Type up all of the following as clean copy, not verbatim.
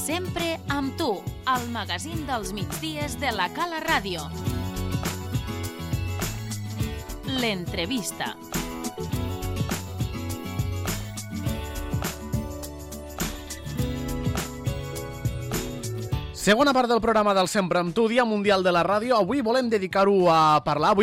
Sempre amb tu, al magazín dels migdies de la Cala Ràdio. L'entrevista. Segona part del programa del Sempre amb tu, Dia Mundial de la Ràdio. Avui volem dedicar-ho a parlar,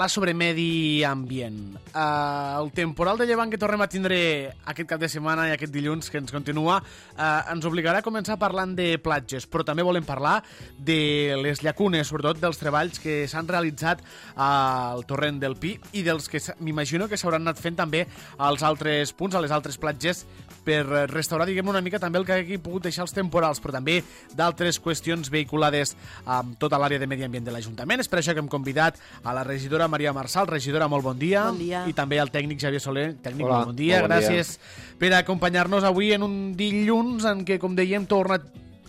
sobre medi ambient. El temporal de llevant que tornem a tindre aquest cap de setmana i aquest dilluns que ens continua ens obligarà a començar parlant de platges, però també volem parlar de les llacunes, sobretot dels treballs que s'han realitzat al torrent del Pi i dels que m'imagino que s'hauran anat fent també als altres punts, a les altres platges, per restaurar, diguem, una mica també el que hagi pogut deixar els temporals, però també d'altres qüestions vehiculades amb tota l'àrea de medi ambient de l'Ajuntament. És per això que hem convidat a la regidora Maria Marçal. Regidora, molt bon dia. Bon dia. I també al tècnic Xavier Soler. Tècnic, hola, molt bon dia. Gràcies per acompanyar-nos avui en un dilluns en què, com dèiem, torna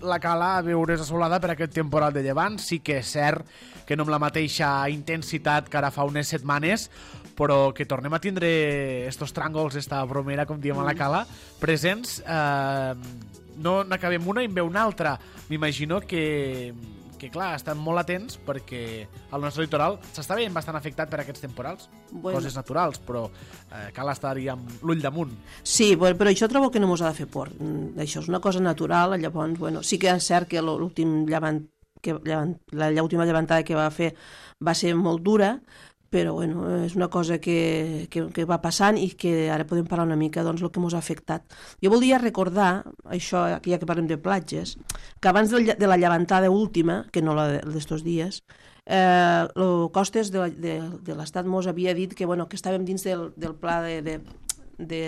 la Cala a veure's assolada per aquest temporal de llevant. Sí que és cert que no amb la mateixa intensitat que ara fa unes setmanes, però que tornem a tindre estos tràngols, esta bromera, com diem a la Cala, presents. No n'acabem una i en ve una altra. M'imagino que clar, estan molt atents perquè el nostre litoral s'està veient bastant afectat per aquests temporals. Bueno. Coses naturals, però cal estar-hi amb l'ull damunt. Sí, però això trobo que no mos ha de fer por. Això és una cosa natural, llavors, sí que és cert que l'última llevantada que va fer va ser molt dura, però és una cosa que va passant i que ara podem parlar una mica del que ens ha afectat. Jo volia recordar, això, ja que parlem de platges, que abans de la llevantada última, que no la d'estos dies, Costes de l'Estat mos havia dit que estàvem dins del pla de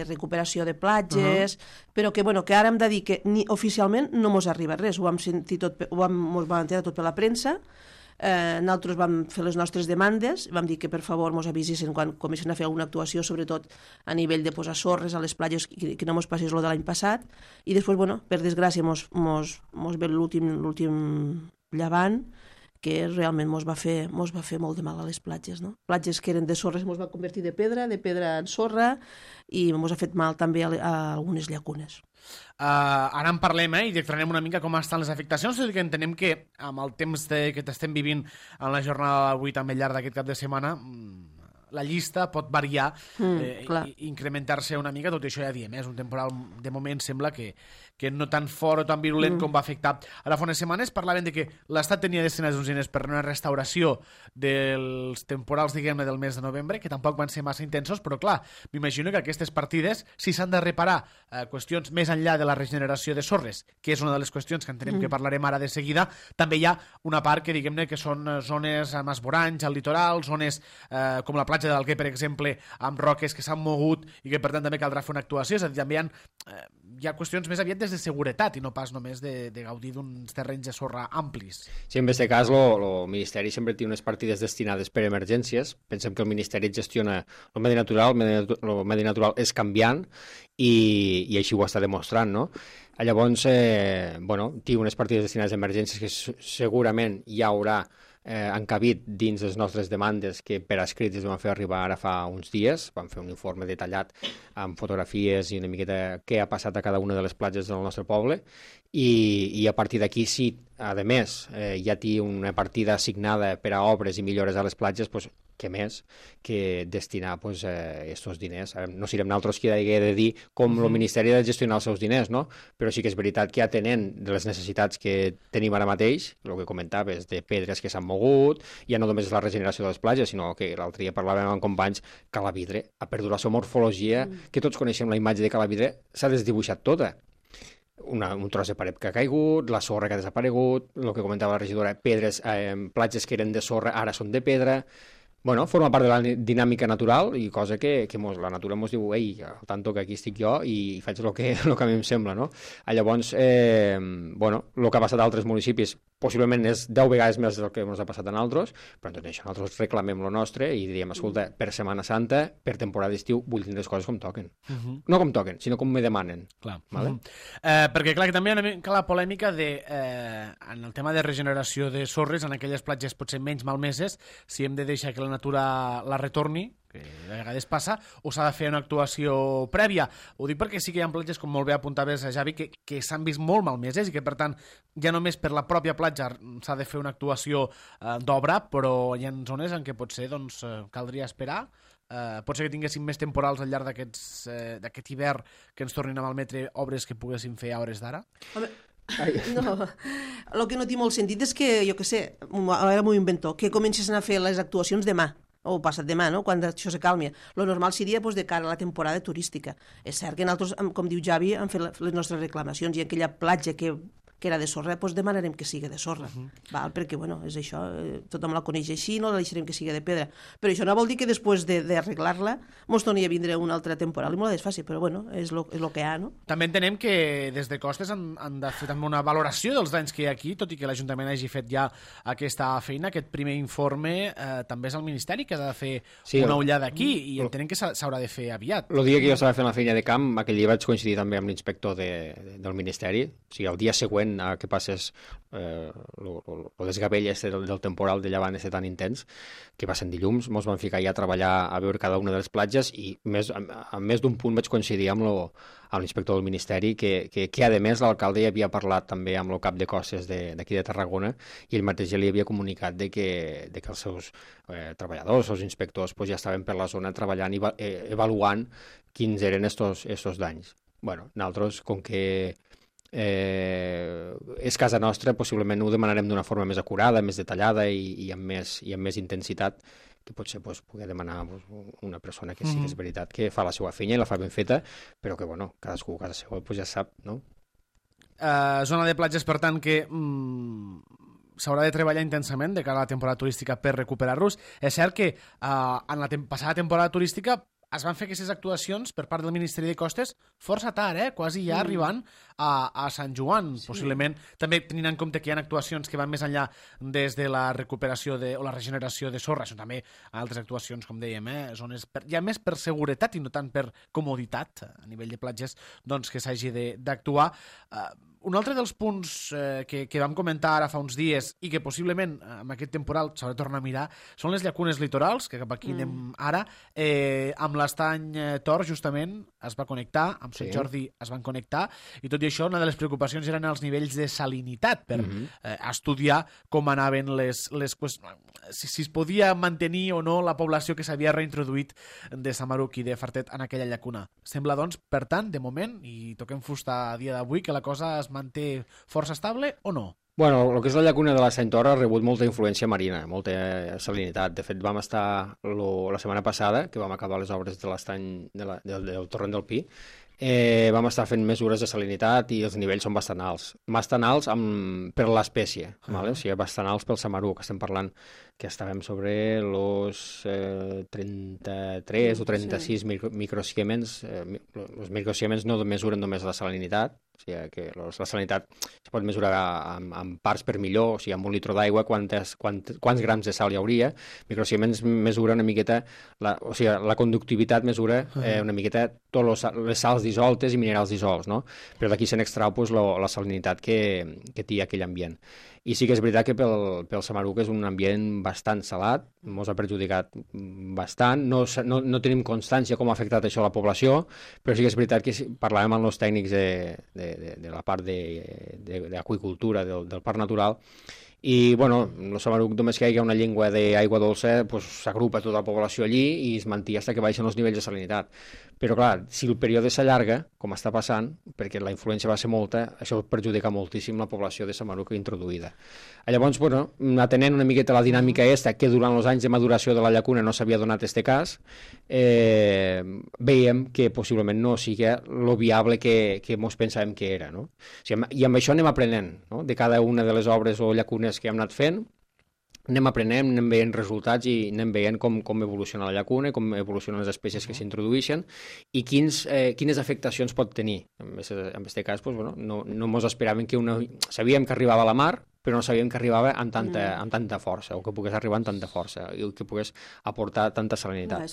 recuperació de platges, però que ara hem de dir que oficialment no mos arriba res. Ho vam sentir tot, mos vam enterar tot per la premsa. Nosaltres vam fer les nostres demandes, vam dir que per favor mos avisessin quan comencen a fer alguna actuació, sobretot a nivell de posar sorres a les platges, que no mos passés lo de l'any passat, i després, per desgràcia, mos ve l'últim llevant, que realment mos va fer molt de mal a les platges, no? Platges que eren de sorres mos va convertir de pedra en sorra, i mos ha fet mal també a algunes llacunes. Ara en parlem i declararem una mica com estan les afectacions, tot i que entenem que amb el temps que t'estem vivint en la jornada d'avui també al llarg d'aquest cap de setmana la llista pot variar i incrementar-se una mica. Tot això ja diem, és un temporal de moment sembla que no tan fort o tan virulent com va afectar ara fa unes setmanes. Parlaven de que l'Estat tenia destinats uns diners per una restauració dels temporals, diguem-ne, del mes de novembre, que tampoc van ser massa intensos, però clar, m'imagino que aquestes partides, si s'han de reparar qüestions més enllà de la regeneració de sorres, que és una de les qüestions que entenem que parlarem ara de seguida, també hi ha una part que, diguem-ne, que són zones amb esvoranys al litoral, zones com la platja de l'Alguer, per exemple, amb roques que s'han mogut i que per tant també caldrà fer una actuació. És a dir, també hi ha qüestions més aviat des de seguretat i no pas només de gaudir d'uns terrenys de sorra amplis. Sí, en aquest cas el Ministeri sempre té unes partides destinades per emergències. Pensem que el Ministeri gestiona el medi natural, el medi natural és canviant i així ho està demostrant, no? Llavors, té unes partides destinades a emergències que segurament hi haurà encabit dins les nostres demandes que per escrit es van fer arribar ara fa uns dies. Vam fer un informe detallat amb fotografies i una miqueta què ha passat a cada una de les platges del nostre poble i a partir d'aquí, si a més ja té una partida assignada per a obres i millores a les platges, doncs què més que destinar estos diners. No serem nosaltres qui hagi de dir com el Ministeri ha de gestionar els seus diners, no? Però sí que és veritat que atenent de les necessitats que tenim ara mateix, el que comentaves de pedres que s'han mogut, ja no només és la regeneració de les platges, sinó que l'altre dia parlàvem amb companys, Calavidre ha perdut la seva morfologia, que tots coneixem la imatge de Calavidre, s'ha desdibuixat tota. Un tros de paret que ha caigut, la sorra que ha desaparegut, el que comentava la regidora, pedres, platges que eren de sorra ara són de pedra. Forma part de la dinàmica natural i cosa que la natura ens diu al tanto que aquí estic jo i faig el que a mi em sembla, no? Llavors, el que ha passat a altres municipis possiblement és 10 vegades més del que ens ha passat a nosaltres, però tot això nosaltres reclamem lo nostre i diríem, escolta, per Setmana Santa, per temporada d'estiu, vull tenir les coses com toquen. No com toquen, sinó com me demanen. Clar. Perquè, clar, que també hi ha una mica la polèmica en el tema de regeneració de sorres en aquelles platges potser menys malmeses, si hem de deixar que la natura la retorni, que de vegades passa, o s'ha de fer una actuació prèvia. Ho dic perquè sí que hi ha platges, com molt bé apuntaves, Javi, que s'han vist molt malmeses i que, per tant, ja només per la pròpia platja s'ha de fer una actuació d'obra, però hi ha zones en què potser doncs, caldria esperar. Pot ser que tinguéssim més temporals al llarg d'aquest hivern que ens tornin a malmetre obres que poguéssim fer a hores d'ara? Home, no, el que no té molt sentit és que, jo què sé, ara m'ho invento, que comencessin a fer les actuacions demà, o passat demà, no? Quan això se calmi. Lo normal seria de cara a la temporada turística. És cert que nosaltres, com diu Javi, hem fet les nostres reclamacions i aquella platja que era de sorra, doncs demanarem que sigui de sorra. Val? Perquè, bueno, és això, tothom la coneix així, no la deixarem que sigui de pedra. Però això no vol dir que després d'arreglar-la mos torni a vindre una altra temporal i molt desfàcil, però bueno, és lo que hi ha, no? També entenem que des de Costes han de fer també una valoració dels danys que hi ha aquí, tot i que l'Ajuntament hagi fet ja aquesta feina, aquest primer informe també és el Ministeri que ha de fer una ullada aquí i entenem que s'haurà de fer aviat. El dia que jo estava fent la feina de camp, aquell dia vaig coincidir també amb l'inspector del Ministeri, o sigui, el dia següent a que passés el desgavell del temporal de llevant tan intens, que va ser dilluns, ens vam ficar ja a treballar a veure cada una de les platges i a més d'un punt vaig coincidir amb l'inspector del Ministeri que a més l'alcalde ja havia parlat també amb el cap de costes d'aquí de Tarragona i ell mateix ja li havia comunicat de que els seus treballadors, els inspectors, ja estaven per la zona treballant i avaluant quins eren estos danys. Bueno, nosaltres, com que és casa nostra, possiblement ho demanarem d'una forma més acurada, més detallada i amb més intensitat, que potser pugui demanar una persona que sí que és veritat que fa la seva feina i la fa ben feta, però que, bueno, cadascú a casa seva ja sap, no? Zona de platges, per tant, que s'haurà de treballar intensament de cara a la temporada turística per recuperar-los. És cert que en la passada temporada turística es van fer aquestes actuacions per part del Ministeri de Costes força tard, quasi ja arribant a Sant Joan, possiblement. També tenint en compte que hi ha actuacions que van més enllà des de la recuperació o la regeneració de sorra, això també altres actuacions, com dèiem, zones ja més per seguretat i no tant per comoditat a nivell de platges, doncs que s'hagi d'actuar. Un altre dels punts que vam comentar ara fa uns dies i que possiblement amb aquest temporal s'haurà de tornar a mirar són les llacunes litorals, que cap aquí anem ara. Amb l'Estany Tor, justament, es va connectar, amb Sant Jordi es van connectar, i tot i això, una de les preocupacions eren els nivells de salinitat per estudiar com anaven si es podia mantenir o no la població que s'havia reintroduït de Samaruc i de Fartet en aquella llacuna. Sembla, doncs, per tant, de moment, i toquem fusta a dia d'avui, que la cosa es manté força estable o no? Bueno, el que és la llacuna de l'Estany Tor ha rebut molta influència marina, molta salinitat. De fet, vam estar la setmana passada, que vam acabar les obres de l'estany del Torrent del Pi, vam estar fent mesures de salinitat i els nivells són bastant alts. Bastant alts per l'espècie, o sigui, bastant alts pel Samaruc. Estem parlant que estàvem sobre els 33 o 36 microsiemens. Els microsiemens no mesuren només la salinitat, o sigui que la salinitat es pot mesurar amb parts per millor, o sigui, amb un litre d'aigua quants grams de sal hi hauria. Microsiemens mesura una miqueta, o sigui, la conductivitat mesura una miqueta totes les sals dissoltes i minerals dissolts, no? Però d'aquí se n'extrau la salinitat que té aquell ambient. I sí que és veritat que pel Samaruc és un ambient bastant salat, ens ha perjudicat bastant, no tenim constància com ha afectat això a la població, però sí que és veritat que parlàvem amb els tècnics de la part d'aqüicultura del Parc Natural, i bueno, el Samaruc només que hi ha una llengua d'aigua dolça s'agrupa tota la població allí i es manté fins que baixen els nivells de salinitat. Però clar, si el període s'allarga, com està passant, perquè la influència va ser molta, això perjudica moltíssim la població de Samaruc introduïda. Llavors, bueno, atenent una miqueta la dinàmica que durant els anys de maduració de la llacuna no s'havia donat este cas, veiem que possiblement no sigui lo viable que ens pensàvem que era, no? O sigui, i amb això anem aprenent, no? De cada una de les obres o llacunes que hem anat fent, anem aprenent, anem veient resultats i anem veient com evoluciona la llacuna, com evolucionen les espècies que s'introdueixen i quines afectacions pot tenir. En aquest cas, no ens esperaven sabíem que arribava a la mar, però no sabíem que arribava amb tanta força, o que pogués arribar amb tanta força, i que pogués aportar tanta salinitat.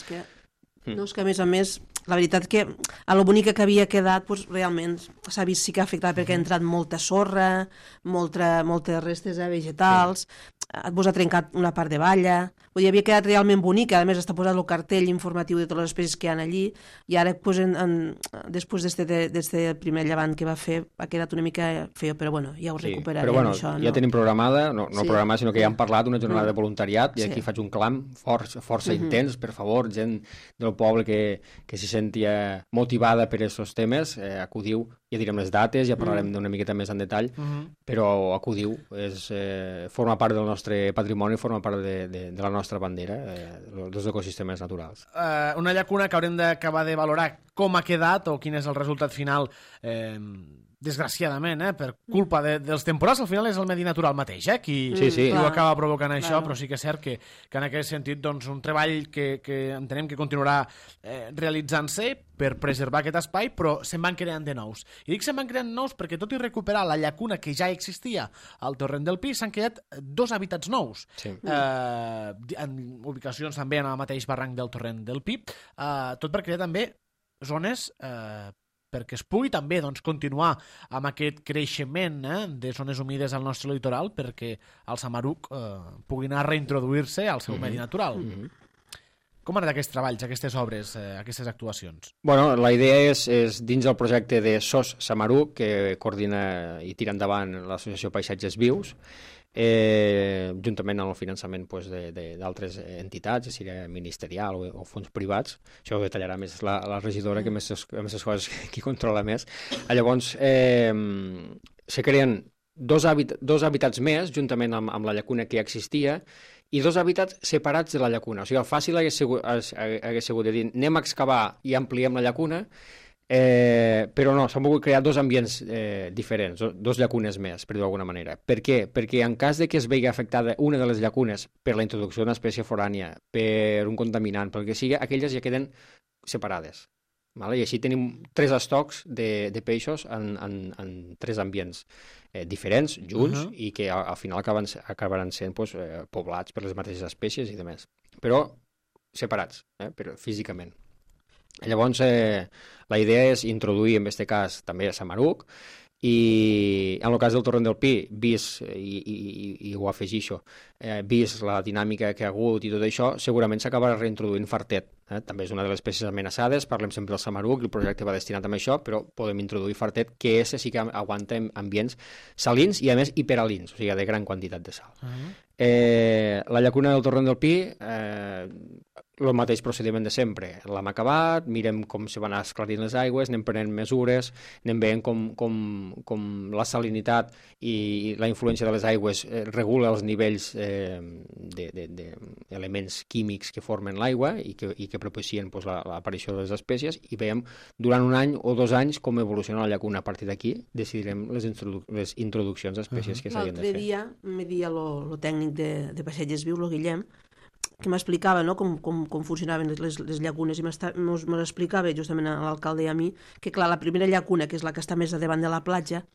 No, és que a més, la veritat que a lo bonica que havia quedat doncs, realment s'ha vist sí que ha afectat perquè ha entrat molta sorra, moltes restes vegetals, vos ha trencat una part de valla, vull dir, havia quedat realment bonica, a més està posat el cartell informatiu de totes les espècies que hi ha allí, i ara pues, després d'este primer llevant que va fer ha quedat una mica feo, però bueno, ja ho recuperarem. Però bueno, això, ja tenim programada, no programada, sinó que ja hem parlat una jornada de voluntariat, i aquí faig un clam força intens, per favor, gent del poble que s'hi sentia motivada per aquests temes, acudiu, ja direm les dates, ja parlarem una miqueta més en detall, però acudiu, forma part del nostre patrimoni, forma part de la nostra bandera, dels ecosistemes naturals. Una llacuna que haurem d'acabar de valorar com ha quedat o quin és el resultat final, desgraciadament, per culpa dels temporals, al final és el medi natural mateix, qui ho acaba provocant això, però sí que és cert que en aquest sentit doncs, un treball que entenem que continuarà realitzant-se per preservar aquest espai, però se'n van creant de nous. I dic se'n van creant nous perquè tot i recuperar la llacuna que ja existia al torrent del Pi, s'han creat 2 hàbitats nous, en ubicacions també en el mateix barranc del torrent del Pi, tot per crear també zones perquè es pugui també doncs, continuar amb aquest creixement de zones humides al nostre litoral perquè el Samaruc pugui anar a reintroduir-se al seu medi natural. Com han anat aquests treballs, aquestes obres, aquestes actuacions? Bueno, la idea és dins del projecte de SOS Samaruc, que coordina i tira endavant l'Associació Paisatges Vius, juntament amb el finançament d'altres entitats, ja sigui ministerial o fons privats. Això ho detallarà més la regidora, que més les coses qui controla més. Llavors, se creen dos hàbitats més, juntament amb la llacuna que ja existia, i 2 hàbitats separats de la llacuna. O sigui, el fàcil hagués sigut de dir anem a excavar i ampliem la llacuna, però no, s'han volgut crear 2 ambients diferents, 2 llacunes més, per dir-ho d'alguna manera. Per què? Perquè en cas de que es vegi afectada una de les llacunes per la introducció d'una espècie forània, per un contaminant, pel que sigui, aquelles ja queden separades. Vale? I així tenim 3 estocs de peixos en 3 ambients diferents, junts, i que al final acabaran sent poblats per les mateixes espècies i demés. Però separats, però físicament. Llavors, la idea és introduir, en aquest cas, també a Samaruc, i en el cas del torrent del Pi, vist, i ho afegixo, vist la dinàmica que ha hagut i tot això, segurament s'acabarà reintroduint fartet. També és una de les espècies amenaçades, parlem sempre del Samaruc, el projecte va destinat a això, però podem introduir fartet, que sí que aguanta ambients salins i, a més, hiperalins, o sigui, de gran quantitat de sal. La llacuna del torrent del Pi, el mateix procediment de sempre. L'hem acabat, mirem com se van esclarint les aigües, anem prenent mesures, anem veient com la salinitat i la influència de les aigües regula els nivells d'elements químics que formen l'aigua i que propicien l'aparició de les espècies, i veiem durant 1 any o 2 anys com evoluciona la llacuna. A partir d'aquí decidirem les introduccions d'espècies que s'havien de fer. L'altre dia me dia el tècnic de Paisatges Vius, el Guillem, que m'explicava com funcionaven les llacunes, i m'explicava justament a l'alcalde i a mi que, clar, la primera llacuna, que és la que està més a davant de la platja,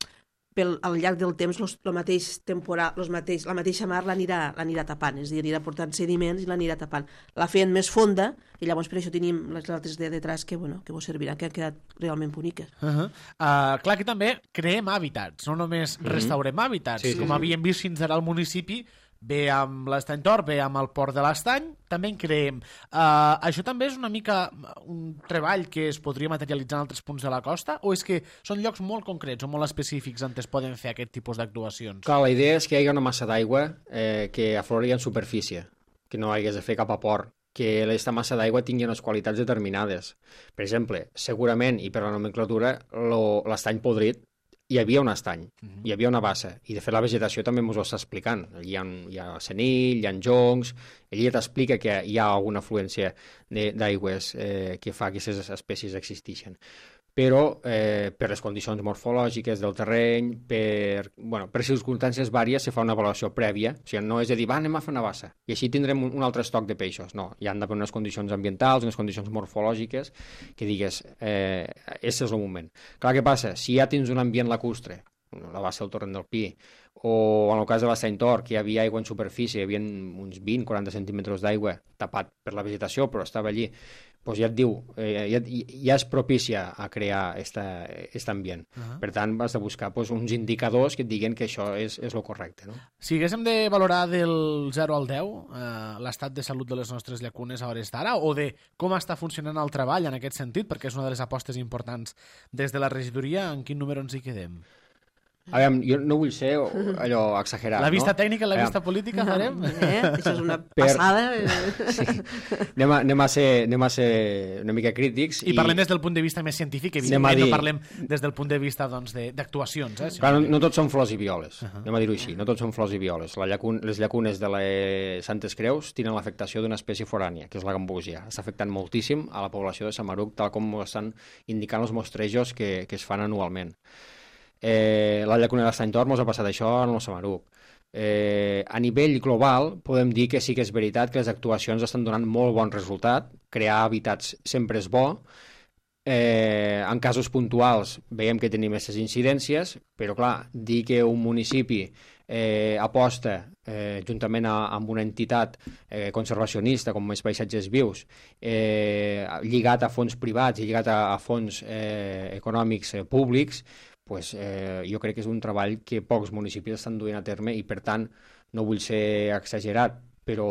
al llarg del temps la mateixa mar l'anirà tapant, és a dir, anirà portant sediments i l'anirà tapant. La feien més fonda i llavors per això tenim les altres de detrás que vos serviran, que han quedat realment boniques. Clar que també creem hàbitats, no només restaurem hàbitats, com havíem vist fins ara al municipi, bé amb l'Estany Tor, bé amb el Port de l'Estany, també en creem. Això també és una mica un treball que es podria materialitzar en altres punts de la costa, o és que són llocs molt concrets o molt específics on es poden fer aquest tipus d'actuacions? Clar, la idea és que hi hagi una massa d'aigua que aflori en superfície, que no hagués de fer cap aport, que aquesta massa d'aigua tingui unes qualitats determinades. Per exemple, segurament, i per la nomenclatura, l'estany podrit, hi havia un estany, hi havia una bassa, i de fet la vegetació també ens ho està explicant. Allí hi ha senill, hi ha joncs, ell ja t'explica que hi ha alguna afluència d'aigües que fa que aquestes espècies existeixen. Però per les condicions morfològiques del terreny, per circumstàncies vàries, se fa una avaluació prèvia. O sigui, no és de dir, anem a fer una bassa, i així tindrem un altre estoc de peixos. No, hi han d'haver unes condicions ambientals, unes condicions morfològiques, que digues, aquest és el moment. Clar, què passa? Si ja tens un ambient lacustre, la bassa del torrent del Pi, o en el cas de l'Estany Tor, que hi havia aigua en superfície, hi havia uns 20-40 centímetres d'aigua tapat per la vegetació, però estava allí, doncs ja et diu, ja es propicia a crear aquest ambient. Per tant, has de buscar uns indicadors que et diguen que això és el correcte. No? Si haguéssim de valorar del 0 al 10 l'estat de salut de les nostres llacunes a hores d'ara, o de com està funcionant el treball en aquest sentit, perquè és una de les apostes importants des de la regidoria, en quin número ens hi quedem? A veure, jo no vull ser allò exagerat, La vista no? tècnica, la vista política, farem? Això és una passada. Sí. Anem a ser una mica crítics. I parlem des del punt de vista més científic, evidentment, no parlem des del punt de vista d'actuacions. Clar, no tots són flors i violes, anem a dir-ho així, no tots són flors i violes. Les llacunes de les Santes Creus tenen l'afectació d'una espècie forània, que és la gambúsia. Està afectant moltíssim a la població de Samaruc, tal com estan indicant els mostrejos que es fan anualment. La llacuna de l'Estany Tor mos ha passat això en el Samaruc. A nivell global podem dir que sí que és veritat que les actuacions estan donant molt bon resultat, crear hàbitats sempre és bo, en casos puntuals veiem que tenim aquestes incidències, però clar, dir que un municipi aposta juntament amb una entitat conservacionista com és Paisatges Vius, lligat a fons privats i lligat a fons econòmics públics, pues, jo crec que és un treball que pocs municipis estan duent a terme i, per tant, no vull ser exagerat, però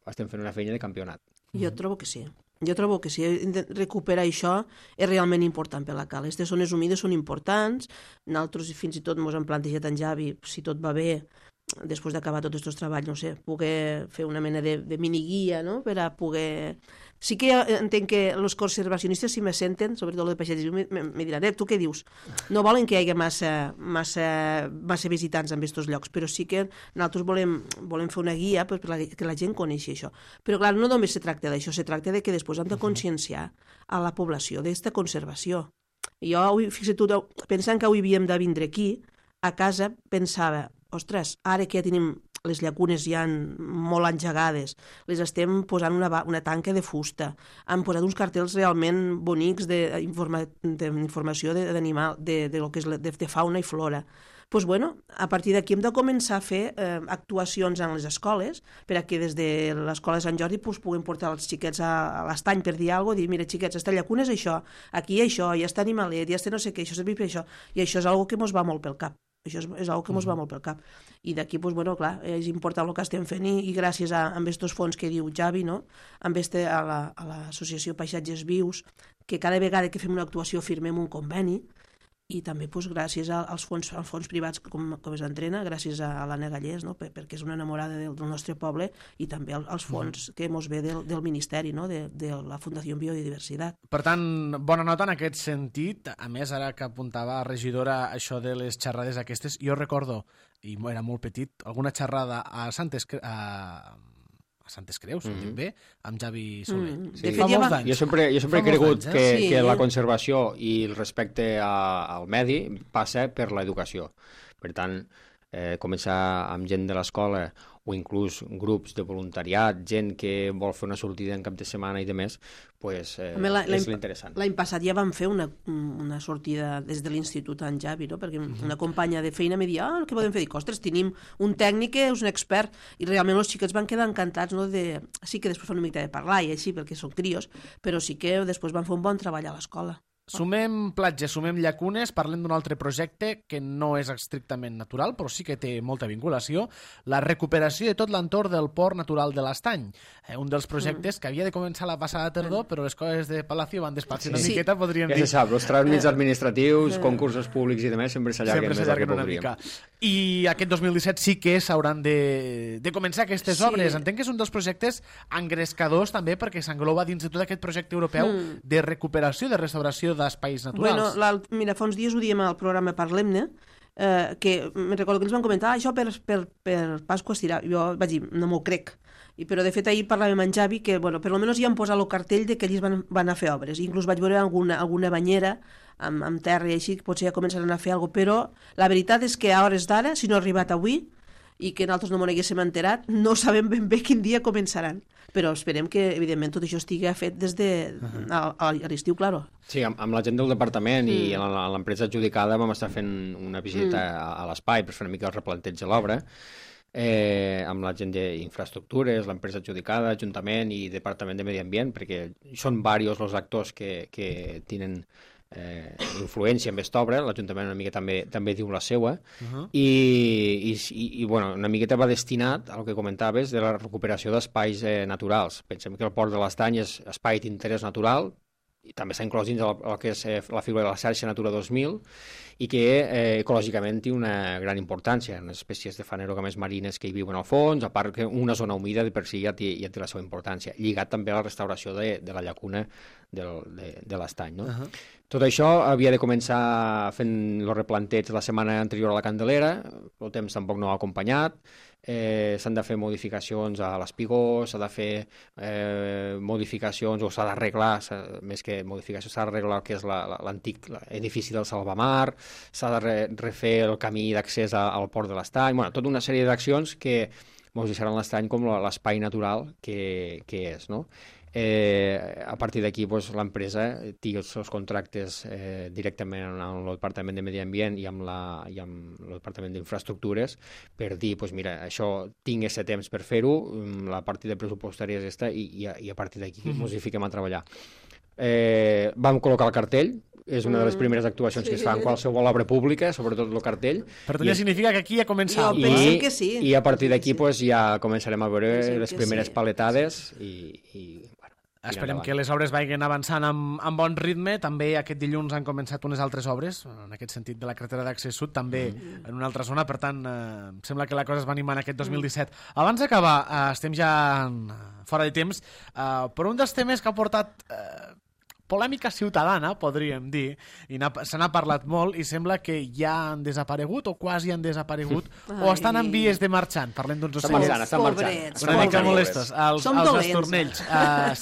estem fent una feina de campionat. Jo trobo que sí. Recuperar això és realment important per la Cala. Aquestes zones humides són importants, nosaltres fins i tot ens hem plantejat en Javi, si tot va bé, després d'acabar tots aquests treballs, no sé, poder fer una mena de miniguia, no?, per a poder... Sí que entenc que els conservacionistes, si me senten, sobretot els de Paisatges, me diran, tu què dius? No volen que hi hagi massa visitants en aquests llocs, però sí que nosaltres volem fer una guia perquè la gent coneixi això. Però clar, no només se tracta d'això, se tracta de que després hem de conscienciar a la població d'aquesta conservació. Jo, fixa't tu, pensant que avui havíem de vindre aquí, a casa pensava, ostres, ara que ja tenim les llacunes ja molt engegades, les estem posant una tanca de fusta, han posat uns cartells realment bonics d'informació d'animal, de fauna i flora. Doncs bueno, a partir d'aquí hem de començar a fer actuacions en les escoles perquè des de l'escola de Sant Jordi puguem portar els xiquets a l'estany per dir alguna cosa, dir, mira xiquets, esta llacuna és això, aquí hi ha això, hi ha este animalet, hi ha este no sé què, això servir per això, i això és una cosa que ens va molt pel cap. Això és una que ens va molt pel cap. I d'aquí, doncs, bueno, clar, és important el que estem fent i gràcies a aquests fons que diu Javi, no?, a l'associació Paisatges Vius, que cada vegada que fem una actuació firmem un conveni, i també doncs, gràcies als fons privats com es entrena, gràcies a l'Anna Gallés, no?, perquè és una enamorada del nostre poble, i també als fons que mos ve del Ministeri, no?, de la Fundació Biodiversitat. Per tant, bona nota en aquest sentit. A més, ara que apuntava a regidora això de les xerrades aquestes, jo recordo, i era molt petit, alguna xerrada a Santes Creus, ho dic bé, amb Javi Soler. Sí. Fa molts anys. Jo sempre he cregut que la conservació i el respecte al medi passa per l'educació. Per tant, començar amb gent de l'escola o inclús grups de voluntariat, gent que vol fer una sortida en cap de setmana i demés, pues, és l'interessant. L'any passat ja vam fer una sortida des de l'institut en Javi, no? Perquè una companya de feina me deia, què podem fer? Dic, ostres, tenim un tècnic que és un expert, i realment els xiquets van quedar encantats, no? Sí que després fan una mica de parlar i així, perquè són crios, però sí que després van fer un bon treball a l'escola. Sumem platges, sumem llacunes, parlem d'un altre projecte que no és estrictament natural, però sí que té molta vinculació, la recuperació de tot l'entorn del port natural de l'Estany. Un dels projectes que havia de començar la passada tardor, però les coses de Palacio van despatxar una miqueta, podríem dir. Ja se sap, els tràmits administratius, concursos públics i demés sempre s'allarguen més del que voldríem. I aquest 2017 sí que s'hauran de començar aquestes obres. Entenc que és un dels projectes engrescadors també perquè s'engloba dins de tot aquest projecte europeu de recuperació, de restauració d'espais naturals. Bueno, mira, fa uns dies ho diem al programa Parlem-ne, que me recordo que ens van comentar això per Pasqua estirà. Jo vaig dir, no m'ho crec. Però de fet ahir parlàvem amb Javi que, bueno, per almenys ja han posat el cartell de que ells van anar a fer obres. Inclús vaig veure alguna banyera amb terra i així, que potser ja començaran a fer alguna cosa, però la veritat és que a hores d'ara, si no ha arribat avui, i que nosaltres no m'ho haguéssim enterat, no sabem ben bé quin dia començaran. Però esperem que, evidentment, tot això estigui fet des de a l'estiu, claro. Sí, amb la gent del departament i a l'empresa adjudicada vam estar fent una visita a l'espai per fer una mica el replanteig de l'obra, amb la gent d'infraestructures, l'empresa adjudicada, Ajuntament i Departament de Medi Ambient, perquè són diversos els actors que tenen influència en aquesta obra. L'Ajuntament una mica també diu la seua, i bueno, una miqueta va destinat al que comentaves de la recuperació d'espais naturals. Pensem que el Port de l'Estany és espai d'interès natural, i també s'ha inclòs dins el que és la figura de la xarxa Natura 2000, i que ecològicament té una gran importància, unes espècies de fanerogames marines que hi viuen al fons, a part que una zona humida de per si ja té la seva importància, lligat també a la restauració de la llacuna de l'Estany, no? Tot això havia de començar fent el replanteig la setmana anterior a la Candelera, el temps tampoc no ha acompanyat, s'han de fer modificacions a l'espigó, s'ha de fer modificacions, o s'ha d'arreglar, més que modificació, s'ha d'arreglar el que és l'antic edifici del Salvamar, s'ha de refer el camí d'accés al Port de l'Estany, bueno, tota una sèrie d'accions que ens deixaran l'Estany com l'espai natural que és, no? A partir d'aquí l'empresa té els seus contractes directament amb el Departament de Medi Ambient i amb el Departament d'Infraestructures per dir, mira, això tinc aquest temps per fer-ho, la partida pressupostària és aquesta, i a partir d'aquí ens hi fiquem a treballar. Vam col·locar el cartell, és una de les primeres actuacions que es fa en qualsevol obra pública, sobretot el cartell. Per tant, ja significa que aquí ja comença... I a partir d'aquí ja començarem a veure les primeres paletades i esperem que les obres vagin avançant amb bon ritme. També aquest dilluns han començat unes altres obres, en aquest sentit de la carretera d'accés sud, també en una altra zona, per tant, sembla que la cosa es va animant aquest 2017. Abans d'acabar, estem ja fora de temps, però un dels temes que ha portat polèmica ciutadana, podríem dir, i se n'ha parlat molt, i sembla que ja han desaparegut, o quasi han desaparegut, o estan en vies de marxant. Parlem d'uns ocells. Estan marxant. Una mica molestos. Els estornells.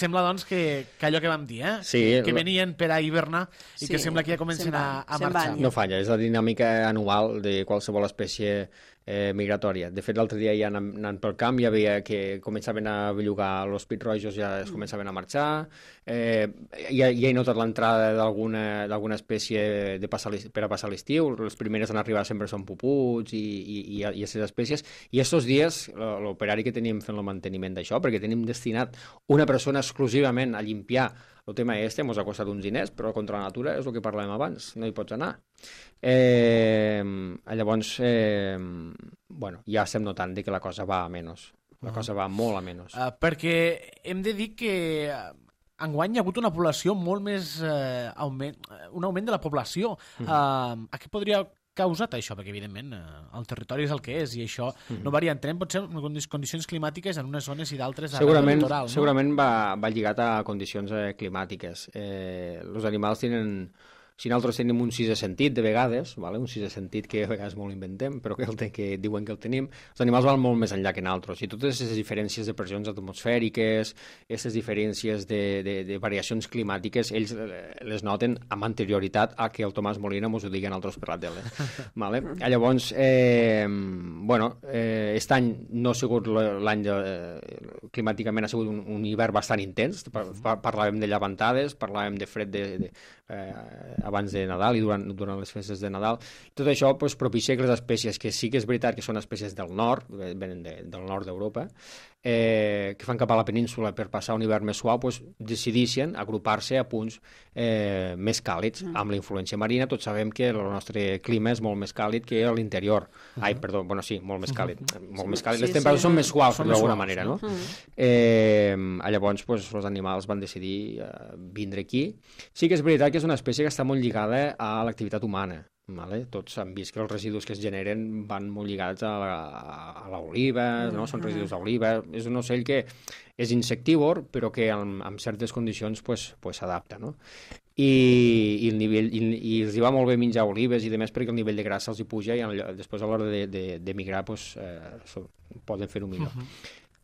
Sembla, doncs, que allò que vam dir, que venien per a hivernar i que sembla que ja comencen a marxar. No falla, és la dinàmica anual de qualsevol espècie migratòria. De fet, l'altre dia ja anant pel camp ja veia que començaven a bellugar els pit-rojos, ja es començaven a marxar, ja he notat l'entrada d'alguna espècie per a passar l'estiu. Les primeres en arribar sempre són puputs i aquestes espècies, i aquests dies l'operari que tenim fent el manteniment d'això, perquè tenim destinat una persona exclusivament a limpiar el tema ens ha costat uns diners, però contra la natura és el que parlàvem abans, no hi pots anar. Llavors, ja estem notant que la cosa va a menys. La cosa va molt a menys. Perquè hem de dir que enguany hi ha hagut una població molt més... un augment de la població. A què podria causat això? Perquè, evidentment, el territori és el que és i això no varia. Entenem, potser, condicions climàtiques en unes zones i d'altres a la litoral. Segurament va lligat a condicions climàtiques. Els animals tenen... Si nosaltres tenim un sisè sentit, de vegades, un sisè sentit que a vegades molt inventem, però que diuen que el tenim, els animals van molt més enllà que nosaltres. I totes aquestes diferències de pressions atmosfèriques, aquestes diferències de variacions climàtiques, ells les noten amb anterioritat a que el Tomàs Molina mos ho digui a nosaltres per la tele. Llavors, aquest any no ha sigut l'any climàticament, ha sigut un hivern bastant intens. Parlàvem de llevantades, parlàvem de fred abans de Nadal i durant les festes de Nadal. Tot això propicia que les espècies, que sí que és veritat que són espècies del nord, venen del nord d'Europa, que fan cap a la península per passar un hivern més suau, decideixen agrupar-se a punts més càlids. Amb la influència marina, tots sabem que el nostre clima és molt més càlid que l'interior. Molt més càlid. Molt més càlid. Les temperatures són més suaus, d'alguna manera, no? Llavors, els animals van decidir vindre aquí. Sí que és veritat que és una espècie que està molt lligada a l'activitat humana. Tots han vist que els residus que es generen van molt lligats a l'oliva, són residus d'oliva. És un ocell que és insectívor, però que en certes condicions s'adapta. I els hi va molt bé menjar olives i demés perquè el nivell de grassa els hi puja i després a l'hora de migrar poden fer-ho millor.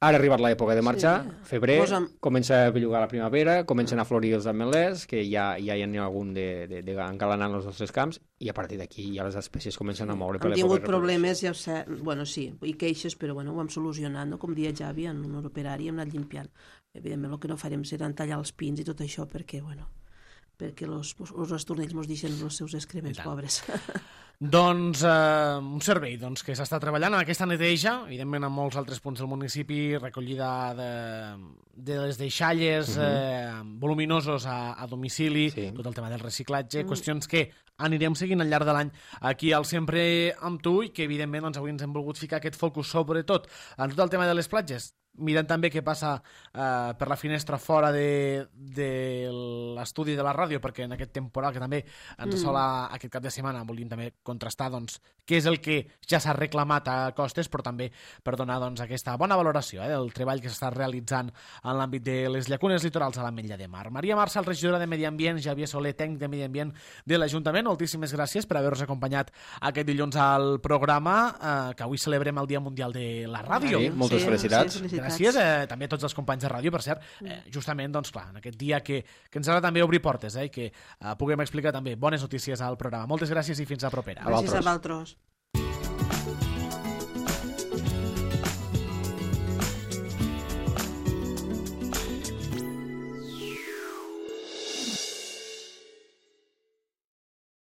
Ara ha arribat l'època de marxar, febrer, Posa'm- comença a bellugar la primavera, comencen a florir els ametllers, que ja hi ha algun engalanant els nostres camps, i a partir d'aquí ja les espècies comencen a moure per Hem l'època tingut de problemes, ja ho sé, bueno, sí, i queixes, però bueno, ho hem solucionat, no? Com dia Javi, en un operari hem anat limpiant. Evidentment, el que no farem serà tallar els pins i tot això, perquè, bueno, perquè els estornells mos deixen els seus excrements, pobres. Doncs un servei que s'està treballant en aquesta neteja, evidentment en molts altres punts del municipi, recollida de les deixalles voluminosos a domicili, tot el tema del reciclatge, qüestions que anirem seguint al llarg de l'any aquí al Sempre amb tu i que evidentment avui ens hem volgut ficar aquest focus sobretot en tot el tema de les platges, mirant també què passa per la finestra fora de l'estudi de la ràdio, perquè en aquest temporal que també ens assola aquest cap de setmana volíem també contrastar què és el que ja s'ha reclamat a costes, però també per donar aquesta bona valoració del treball que s'està realitzant en l'àmbit de les llacunes litorals a l'Ametlla de Mar. Maria Marçal, regidora de Medi Ambient, Javier Soler, tècnic de Medi Ambient de l'Ajuntament, moltíssimes gràcies per haver-nos acompanyat aquest dilluns al programa, que avui celebrem el Dia Mundial de la Ràdio. Moltes felicitats. Gràcies també a tots els companys de ràdio, per cert, justament, clar, en aquest dia que ens ha de també obrir portes i que puguem explicar també bones notícies al programa. Moltes gràcies i fins a propera. Gràcies a vosaltres.